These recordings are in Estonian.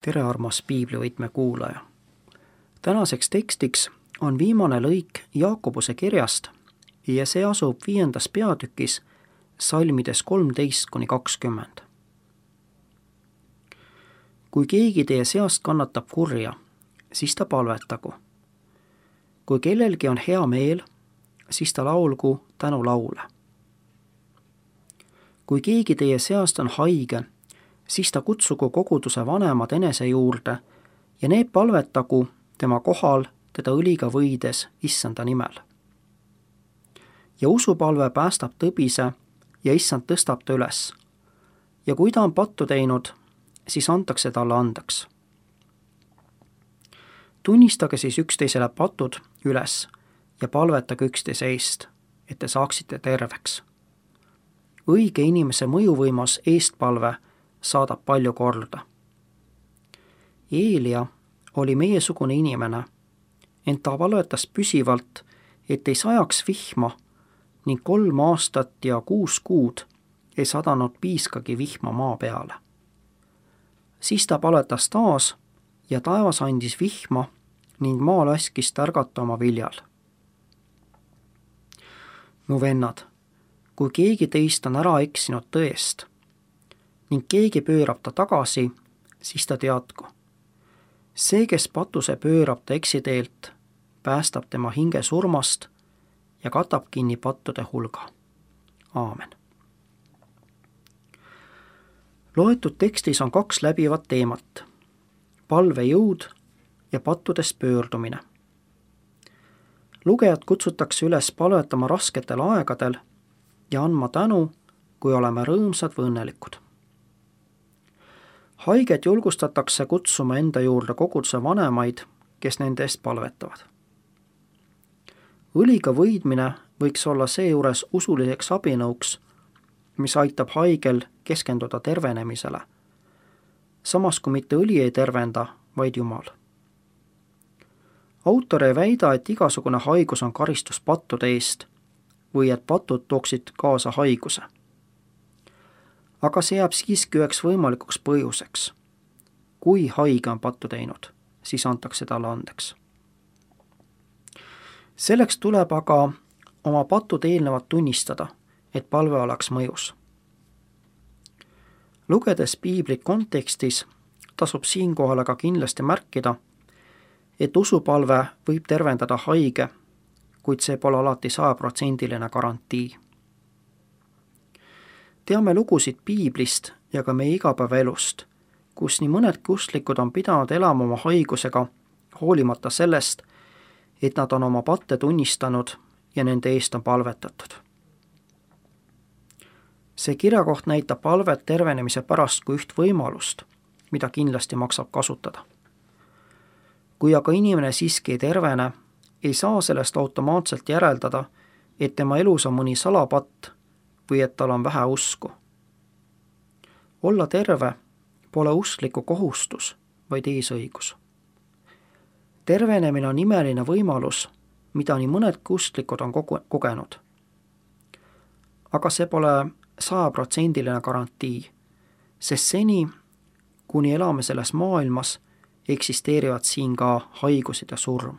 tere, armas piiblivõtme kuulaja! Tänaseks tekstiks on viimane lõik Jaakobuse kirjast ja see asub 5. peatükis salmides 13–20. Kui keegi teie seast kannatab kurja, siis ta palvetagu. Kui kellelgi on hea meel, siis ta laulgu tänulaule. Kui keegi teie seast on haige, siis ta kutsugu koguduse vanemad enese juurde ja need palvetagu tema kohal teda õliga võides issanda nimel. Ja usupalve päästab tõbise ja issand tõstab ta üles. Ja kui ta on pattu teinud, siis antakse talle andeks. Tunnistage siis üksteisele patud üles ja palvetage üksteise eest, et te saaksite terveks. Õige inimese mõjuvõimas eestpalve saadab palju korda. Eelia oli meiesugune inimene, ent ta palvetas püsivalt, et ei sajaks vihma ning 3 aastat ja 6 kuud ei sadanud piiskagi vihma maa peale. Siis ta palvetas taas ja taevas andis vihma ning maa laskis tärgata oma viljal. Mu vennad, kui keegi teist on ära eksinud tõest ning keegi pöörab ta tagasi, siis ta teadku. See, kes patuse pöörab ta eksiteelt, päästab tema hinge surmast ja katab kinni pattude hulga. Aamen. Loetud tekstis on 2 läbivat teemat. Palvejõud ja pattudest pöördumine. Lugejad kutsutakse üles palvetama rasketel aegadel ja andma tänu, kui oleme rõõmsad või õnnelikud. Haiged julgustatakse kutsuma enda juurde koguduse vanemaid, kes nende eest palvetavad. Õliga võidmine võiks olla seejuures usuliseks abinõuks, mis aitab haigel keskenduda tervenemisele, samas kui mitte õli ei tervenda, vaid Jumal. Autor ei väida, et igasugune haigus on karistus pattude eest või et patud tooksid kaasa haiguse. Aga see jääb siiski üheks võimalikuks põhjuseks. Kui haige on pattu teinud, siis antakse talle andeks. Selleks tuleb aga oma patud eelnevat tunnistada, et palve oleks mõjus. Lugedes piiblit kontekstis, tasub siinkohal aga kindlasti märkida, et usupalve võib tervendada haige, kuid see pole alati 100% garantii. Teame lugusid piiblist ja ka meie igapäevaelust, kus nii mõnedki usklikud on pidanud elama oma haigusega, hoolimata sellest, et nad on oma patte tunnistanud ja nende eest on palvetatud. See kirjakoht näitab palvet tervenemise pärast kui üht võimalust, mida kindlasti maksab kasutada. Kui aga inimene siiski ei tervene, ei saa sellest automaatselt järeldada, et tema elus on mõni salapatt või et tal on vähe usku. Olla terve pole uskliku kohustus, vaid eesõigus. Tervenemine on imeline võimalus, mida nii mõnedki usklikud on kogenud. Aga see pole 100% garantii, sest seni, kuni elame selles maailmas, eksisteerivad siin ka haigused ja surm.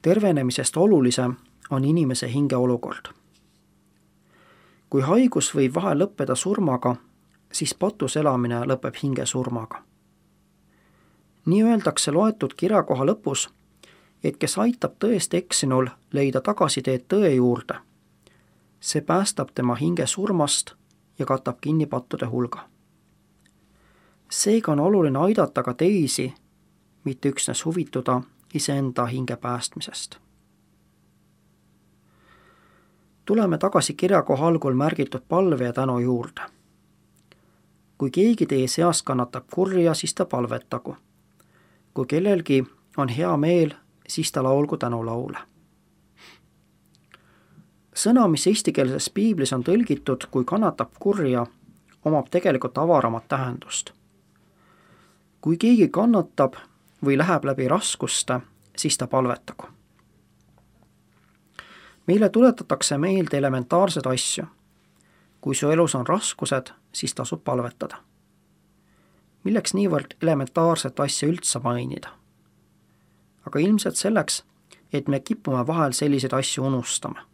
Tervenemisest olulisem on inimese hingeolukord. Kui haigus võib vahel lõppeda surmaga, siis patus elamine lõpeb hingesurmaga. Nii öeldakse loetud kirjakoha lõpus, et kes aitab tõest eksinul leida tagasiteed tõe juurde, see päästab tema hinge surmast ja katab kinni pattude hulga. Seega on oluline aidata ka teisi, mitte üksnes huvituda iseenda hinge päästmisest. Tuleme tagasi kirjakoha algul märgitud palve ja tänu juurde. Kui keegi teie seast kannatab kurja, siis ta palvetagu. Kui kellelgi on hea meel, siis ta laulgu tänulaule. Sõna, mis eestikeelses piiblis on tõlgitud, kui kannatab kurja, omab tegelikult avaramat tähendust. Kui keegi kannatab või läheb läbi raskuste, siis ta palvetagu. Meile tuletatakse meelde elementaarseid asju. kui su elus on raskused, siis tasub palvetada. Milleks niivõrd elementaarset asja üldse mainida? Aga ilmselt selleks, et me kipume vahel selliseid asju unustama.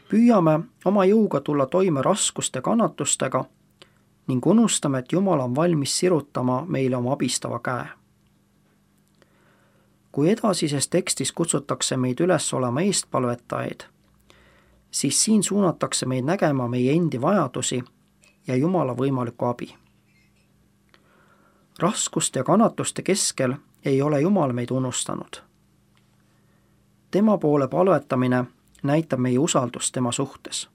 Püüame oma jõuga tulla toime raskuste kannatustega ning unustame, et Jumal on valmis sirutama meile oma abistava käe. Kui edasises tekstis kutsutakse meid üles olema eestpalvetajaid, siis siin suunatakse meid nägema meie endi vajadusi ja Jumala võimalikku abi. Raskuste ja kannatuste keskel ei ole Jumal meid unustanud. Tema poole palvetamine näitab meie usaldust tema suhtes.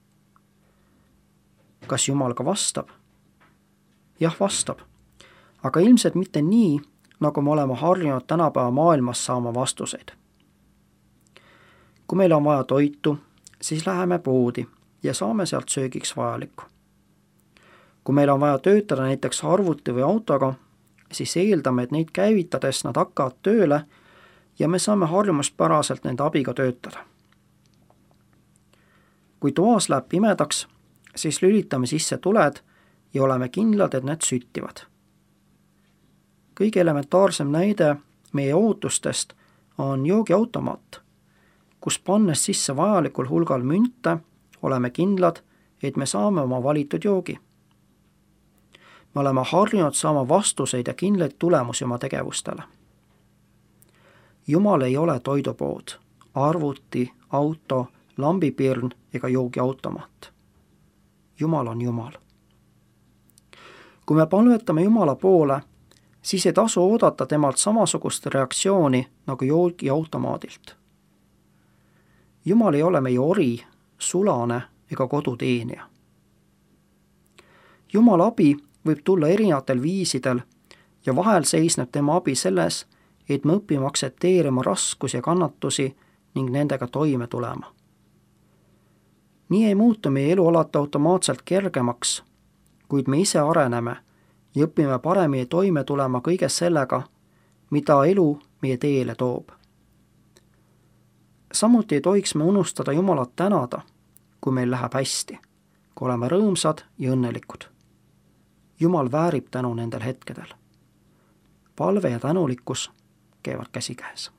Kas Jumal ka vastab? Jah, vastab, aga ilmselt mitte nii, nagu me oleme harjunud tänapäeva maailmas saama vastuseid. Kui meil on vaja toitu, siis läheme poodi ja saame sealt söögiks vajalikku. Kui meil on vaja töötada näiteks arvuti või autoga, siis eeldame, et neid käivitades nad hakkavad tööle ja me saame harjumuspäraselt nende abiga töötada. Kui toas läheb pimedaks, siis lülitame sisse tuled ja oleme kindlad, et need süttivad. Kõige elementaarsem näide meie ootustest on joogiautomaat, kus pannes sisse vajalikul hulgal münte, oleme kindlad, et me saame oma valitud joogi. Me oleme harjunud saama vastuseid ja kindlaid tulemusi oma tegevustele. Jumal ei ole toidupood, arvuti, auto, lambipirn ega joogiautomaat. Jumal on Jumal. Kui me palvetame Jumala poole, siis ei tasu oodata temalt samasugust reaktsiooni nagu joogiautomaadilt. Jumal ei ole meie ori, sulane ega koduteenija. Jumala abi võib tulla erinevatel viisidel ja vahel seisneb tema abi selles, et me õpime aktsepteerima raskusi ja kannatusi ning nendega toime tulema. Nii ei muutu meie elu alati automaatselt kergemaks, kuid me ise areneme ja õpime paremini toime tulema kõige sellega, mida elu meie teele toob. Samuti ei tohiks me unustada Jumalat tänada, kui meil läheb hästi, kui oleme rõõmsad ja õnnelikud. Jumal väärib tänu nendel hetkedel. Palve ja tänulikkus käivad käsikäes.